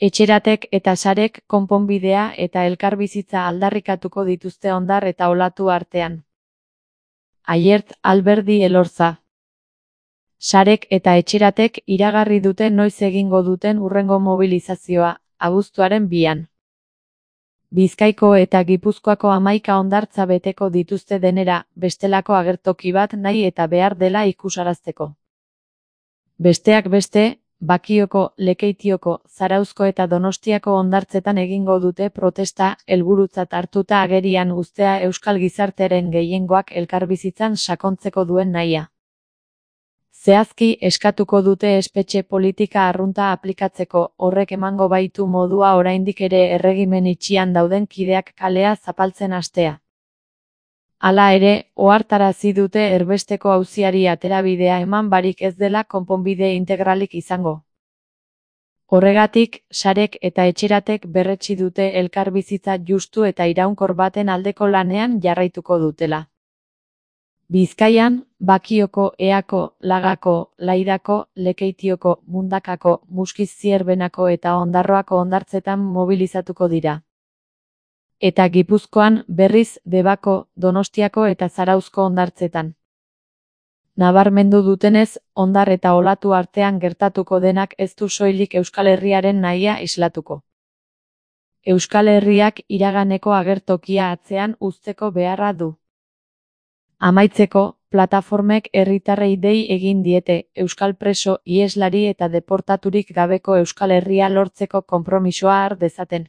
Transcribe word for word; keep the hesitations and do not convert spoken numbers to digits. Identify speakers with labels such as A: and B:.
A: Etxeratek eta sarek konponbidea eta elkarbizitza aldarrikatuko dituzte Ondar eta Olatu artean. Aiert Alberdi Elorza. Sarek eta etxeratek iragarri dute noiz egingo duten hurrengo mobilizazioa, abuztuaren bian. Bizkaiko eta Gipuzkoako hamaika hondartza beteko dituzte denera, bestelako agertoki bat nahi eta behar dela ikusarazteko. Besteak beste, Bakioko, Lekeitioko, Zarauzko eta Donostiako hondartzetan egingo dute protesta, helburutzat hartuta agerian uztea euskal gizartearen gehiengoak elkarbizitzan sakontzeko duen nahia. Zehazki eskatuko dute espetxe politika arrunta aplikatzeko, horrek emango baitu modua oraindik ere erregimen itxian dauden kideak kalea zapaltzen hastea. Hala ere, ohartarazi dute erbesteko auziari aterabidea eman barik ez dela konponbide integralik izango. Horregatik, sarek eta etxeratek berretsi dute elkarbizitza justu eta iraunkor baten aldeko lanean jarraituko dutela. Bizkaian, Bakioko, Eako, Lagako, Laidako, Lekeitioko, Mundakako, Muskiz-Zierbenako eta Ondarroako hondartzetan mobilizatuko dira. Eta Gipuzkoan, berriz, Debako, Donostiako eta Zarauzko hondartzetan. Nabarmendu dutenez, Ondar eta Olatu artean gertatuko denak ez du soilik Euskal Herriaren nahia islatuko. Euskal Herriak iraganeko agertokia atzean uzteko beharra du. Amaitzeko, plataformek herritarrei dei egin diete, euskal preso, iheslari eta deportaturik gabeko Euskal Herria lortzeko konpromisoa har dezaten.